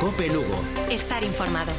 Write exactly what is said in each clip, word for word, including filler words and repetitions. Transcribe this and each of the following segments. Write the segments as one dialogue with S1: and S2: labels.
S1: Cope Lugo.
S2: Estar informado.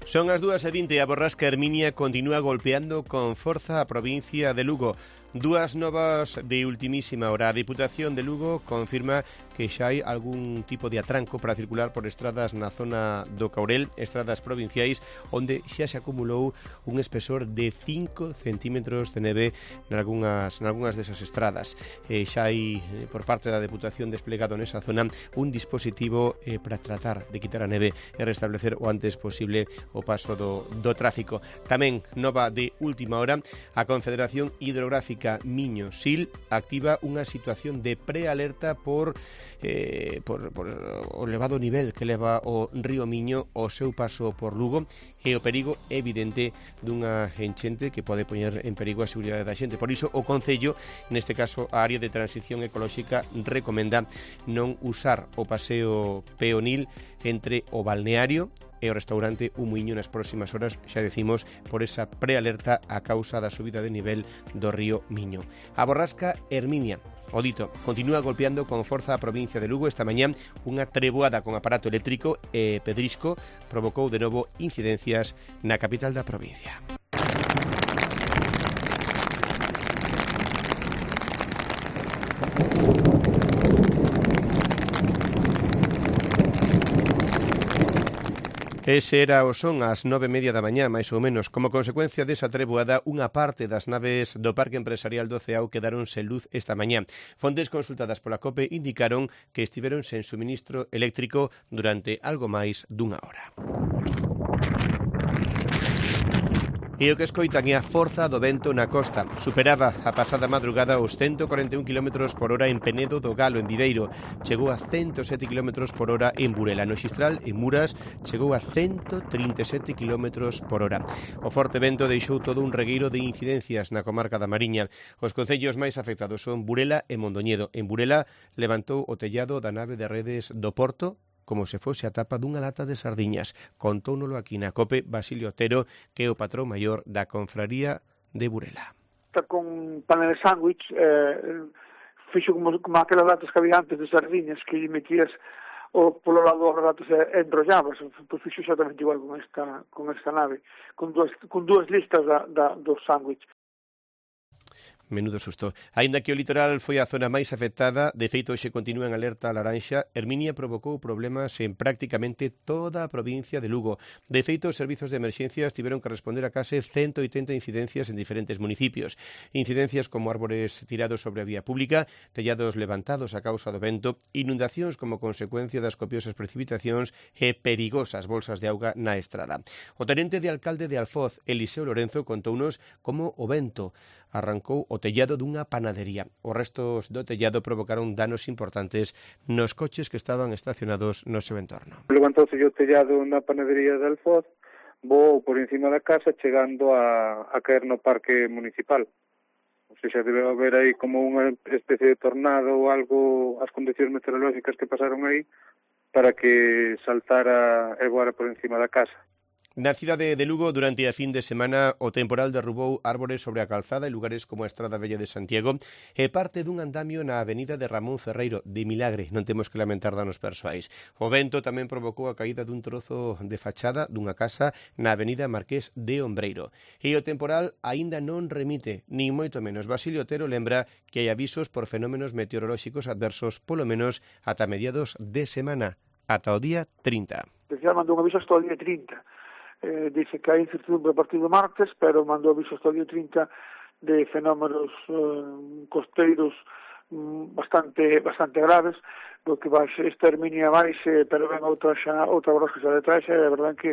S3: Son as dúas e vinte e a borrasca Herminia continúa golpeando con forza a provincia de Lugo. Dúas novas de ultimísima hora. A Diputación de Lugo confirma que xa hai algún tipo de atranco para circular por estradas na zona do Caurel, estradas provinciais, onde xa se acumulou un espesor de cinco centímetros de neve nalgúnas, nalgúnas desas estradas. Eh, xa hai, por parte da Deputación desplegado nesa zona, un dispositivo eh, para tratar de quitar a neve e restablecer o antes posible o paso do, do tráfico. Tamén, nova de última hora, a Confederación Hidrográfica Miño-Sil activa unha situación de prealerta por, eh, por, por o elevado nivel que leva o río Miño ao seu paso por Lugo e o perigo evidente dunha enchente que pode poñer en perigo a seguridade da xente. Por iso, o Concello, neste caso a área de transición ecolóxica, recomenda non usar o paseo peonil entre o balneario e o restaurante O Muiño nas próximas horas, xa decimos, por esa prealerta a causa da subida de nivel do río Miño. A borrasca Herminia, o dito, continúa golpeando con forza a provincia de Lugo. Esta mañá unha treboada con aparato eléctrico e pedrisco provocou de novo incidencias na capital da provincia. Ese era o son ás nove e media da mañá, máis ou menos. Como consecuencia desa treboada, unha parte das naves do Parque Empresarial do Ceao quedaron sen luz esta mañá. Fontes consultadas pola COPE indicaron que estiveron sen suministro eléctrico durante algo máis dunha hora. E o que escoitan é a forza do vento na costa. Superaba a pasada madrugada os ciento cuarenta e un kilómetros por hora en Penedo do Galo, en Viveiro. Chegou a ciento sete kilómetros por hora en Burela. No Xistral, en Muras, chegou a ciento trinta e sete kilómetros por hora. O forte vento deixou todo un regueiro de incidencias na comarca da Mariña. Os concellos máis afectados son Burela e Mondoñedo. En Burela levantou o tellado da nave de redes do Porto como se fose a tapa dunha lata de sardiñas. Contóunolo aquí na COPE Basilio Otero, que é o patrón maior da Confraría de Burela.
S4: Está con panel de sándwich, eh, fixo como, como aquelas latas que había antes de sardiñas que lle metías o polo lado das latas e enrollabas, pois fixo exactamente igual con esta con esta nave, con dúas, con dúas listas da, da, dos sándwich.
S3: Menudo susto. Aínda que o litoral foi a zona máis afectada, de feito hoxe continúa en alerta laranxa, Herminia provocou problemas en prácticamente toda a provincia de Lugo. De feito, os servizos de emerxencias tiveron que responder a case ciento oitenta incidencias en diferentes municipios. Incidencias como árbores tirados sobre a vía pública, tellados levantados a causa do vento, inundacións como consecuencia das copiosas precipitacións e perigosas bolsas de auga na estrada. O tenente de alcalde de Alfoz, Eliseo Lorenzo, contounos como o vento arrancou o tellado dunha panadería. Os restos do tellado provocaron danos importantes nos coches que estaban estacionados no seu entorno.
S5: Levantouse o tellado na panadería de Alfoz, voou por encima da casa chegando a, a caer no parque municipal. O sea, debe haber aí como unha especie de tornado ou algo, as condicións meteorológicas que pasaron aí para que saltara e voara por encima da casa.
S3: Na cidade de Lugo, durante a fin de semana, o temporal derrubou árbores sobre a calzada en lugares como a Estrada Vella de Santiago e parte dun andamio na avenida de Ramón Ferreiro. De milagre, non temos que lamentar danos persoais. O vento tamén provocou a caída dun trozo de fachada dunha casa na avenida Marqués de Ombreiro. E o temporal aínda non remite, nin moito menos. Basilio Otero lembra que hai avisos por fenómenos meteorolóxicos adversos polo menos ata mediados de semana, ata o día trinta.
S4: Decía, mandou un aviso hasta o día trinta. Eh, dice que hai incertidumbre a partir do martes, pero mandou aviso hasta o día trinta de fenómenos eh, costeiros mm, bastante bastante graves, do que vai esta Herminia máis, eh, pero ven outra xa, outra borrasca xa detrás, e a verdade que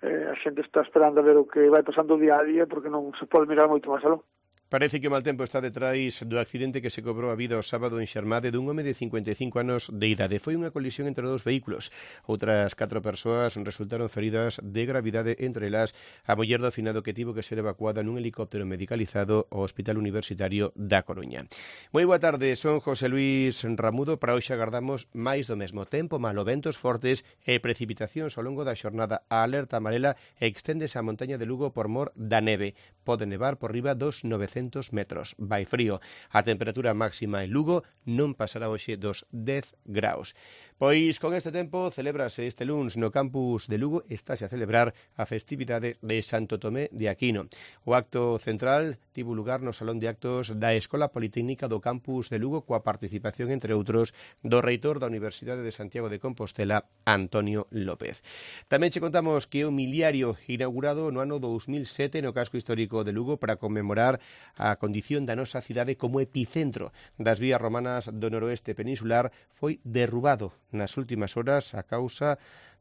S4: eh, a xente está esperando a ver o que vai pasando día a día, porque non se pode mirar moito máis aló.
S3: Parece que o mal tempo está detrás do accidente que se cobrou a vida o sábado en Xermade dun home de cincuenta e cinco anos de idade. Foi unha colisión entre dous vehículos. Outras catro persoas resultaron feridas de gravidade, entre elas a muller do finado que tivo que ser evacuada nun helicóptero medicalizado ao Hospital Universitario da Coruña. Moi boa tarde, son José Luis Ramudo. Para hoxe agardamos máis do mesmo. Tempo malo, ventos fortes e precipitacións ao longo da xornada. A alerta amarela exténdese á montaña de Lugo por mor da neve. Pode nevar por riba dos novecientos oitocentos metros. Vai frío. A temperatura máxima en Lugo non pasará hoxe dos dez graus. Pois con este tempo celébrase este luns no campus de Lugo, estáse a celebrar a festividade de Santo Tomé de Aquino. O acto central tivo lugar no Salón de Actos da Escola Politécnica do campus de Lugo coa participación, entre outros, do reitor da Universidade de Santiago de Compostela, Antonio López. Tamén che contamos que o miliario inaugurado no ano dous mil sete no casco histórico de Lugo para conmemorar a condición da nosa cidade como epicentro das vías romanas do noroeste peninsular foi derrubado nas últimas horas a causa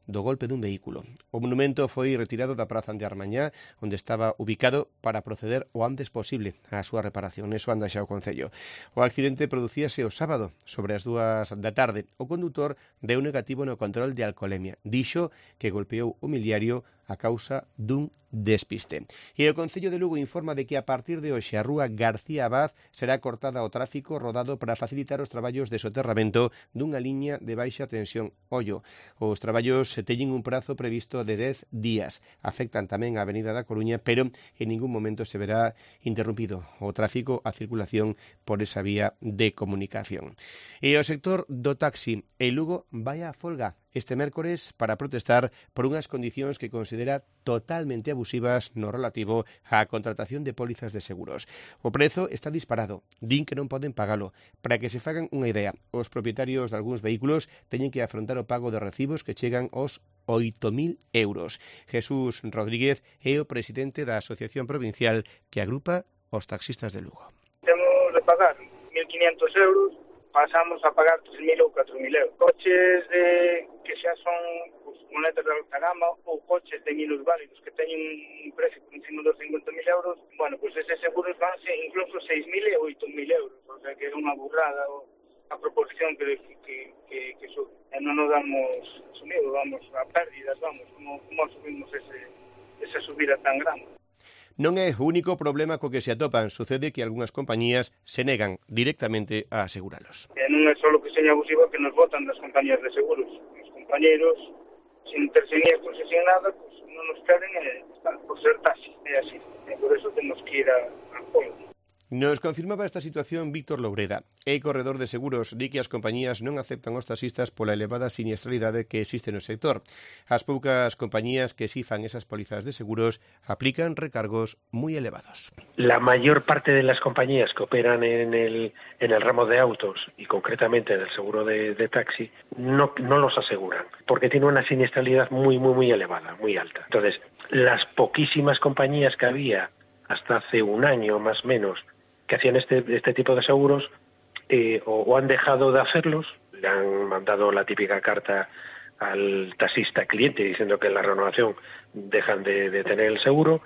S3: do golpe dun vehículo. O monumento foi retirado da Praza de Armañá, onde estaba ubicado, para proceder o antes posible á súa reparación. Eso anda xa o Concello. O accidente producíase o sábado, sobre as dúas da tarde. O condutor deu negativo no control de alcoholemia. Dixo que golpeou o miliario a causa dun despiste. E o Concello de Lugo informa de que a partir de hoxe a rúa García Abad será cortada ao tráfico rodado para facilitar os traballos de soterramento dunha liña de baixa tensión. Ollo, os traballos teñen un prazo previsto de dez días. Afectan tamén a Avenida da Coruña, pero en ningún momento se verá interrumpido o tráfico, a circulación por esa vía de comunicación. E o sector do taxi en Lugo vai á folga este mércores para protestar por unhas condicións que considera totalmente abusivas no relativo á contratación de pólizas de seguros. O prezo está disparado, din que non poden pagalo. Para que se fagan unha idea, os propietarios de algúns vehículos teñen que afrontar o pago de recibos que chegan aos oito mil euros. Jesús Rodríguez é o presidente da Asociación Provincial que agrupa os taxistas de Lugo.
S1: Temos de pagar mil quinientos euros, pasamos a pagar tres mil ou catro mil euros. Coches de que xa son pues, monetas de alta gama ou coches de minusválidos que teñen un precio por encima dos cincuenta mil euros, bueno, pues eses seguros vanse incluso seis mil e oito mil euros, o sea que é unha burrada a proporción que, que, que, que sube. E non nos damos sumido, vamos a pérdidas, vamos, como, como asumimos ese, esa subida tan grande.
S3: Non é o único problema co que se atopan. Sucede que algunhas compañías se negan directamente a aseguralos.
S1: E non é só que seña abusivo que nos botan das compañías de seguros. Os compañeros, sin ter siniestros e sin nada, pues, non nos queren e, por ser taxi. É así. E por eso temos que ir a, a folga.
S3: Nos confirmaba esta situación Víctor Loureda. É corredor de seguros, di que as compañías non aceptan os taxistas pola elevada siniestralidade que existe no sector. As poucas compañías que sifan esas pólizas de seguros aplican recargos moi elevados.
S2: La mayor parte de las compañías que operan en el, en el ramo de autos y concretamente en el seguro de, de taxi no, no los aseguran porque tiene una siniestralidad muy, muy, muy elevada, muy alta. Entonces, las poquísimas compañías que había hasta hace un año más o menos que hacían este, este tipo de seguros eh, o, o han dejado de hacerlos, le han mandado la típica carta al taxista cliente diciendo que en la renovación dejan de, de tener el seguro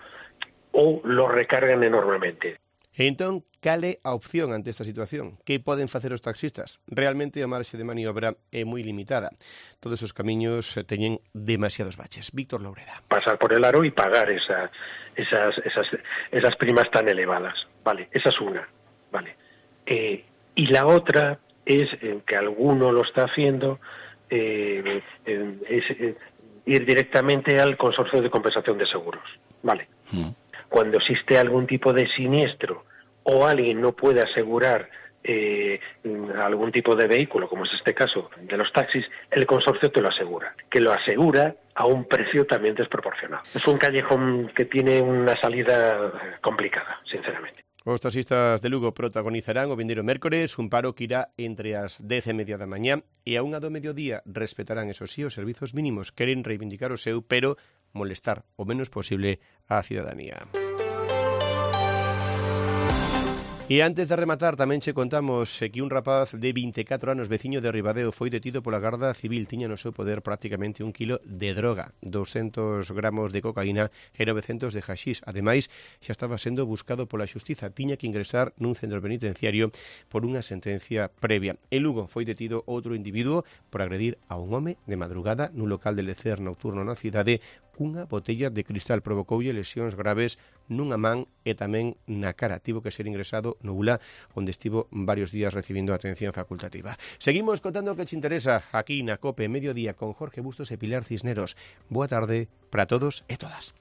S2: o lo recargan enormemente.
S3: Entón, cal é a opción ante esta situación? Que poden facer os taxistas? Realmente a marxe de maniobra é moi limitada. Todos os camiños teñen demasiados baches. Víctor Loureda.
S2: Pasar por el aro y pagar esa, esas, esas, esas primas tan elevadas. Vale, esa es una. Vale. Eh, y la otra es eh, que alguno lo está haciendo, eh, eh, es eh, ir directamente al consorcio de compensación de seguros. Vale. Mm. Cuando existe algún tipo de siniestro o alguien no puede asegurar eh, algún tipo de vehículo, como es este caso de los taxis, el consorcio te lo asegura, que lo asegura a un precio también desproporcionado. Es un callejón que tiene una salida complicada, sinceramente.
S3: Os taxistas de Lugo protagonizarán o vindeiro mércores un paro que irá entre as dez e media da mañá e a unha do mediodía. Respetarán, eso sí, os servizos mínimos. Queren reivindicar o seu, pero molestar o menos posible á cidadanía. E antes de rematar, tamén che contamos que un rapaz de vinte e catro anos, veciño de Ribadeo, foi detido pola Garda Civil. Tiña no seu poder prácticamente un kilo de droga, doscentos gramos de cocaína e novecentos de haxís. Ademais, xa estaba sendo buscado pola xustiza. Tiña que ingresar nun centro penitenciario por unha sentencia previa. En Lugo foi detido outro individuo por agredir a un home de madrugada nun local de lecer nocturno na cidade. Unha botella de cristal provocoulle lesións graves nunha man e tamén na cara. Tivo que ser ingresado no U L A, onde estivo varios días recibindo atención facultativa. Seguimos contando o que te interesa aquí na COPE Mediodía con Jorge Bustos e Pilar Cisneros. Boa tarde para todos e todas.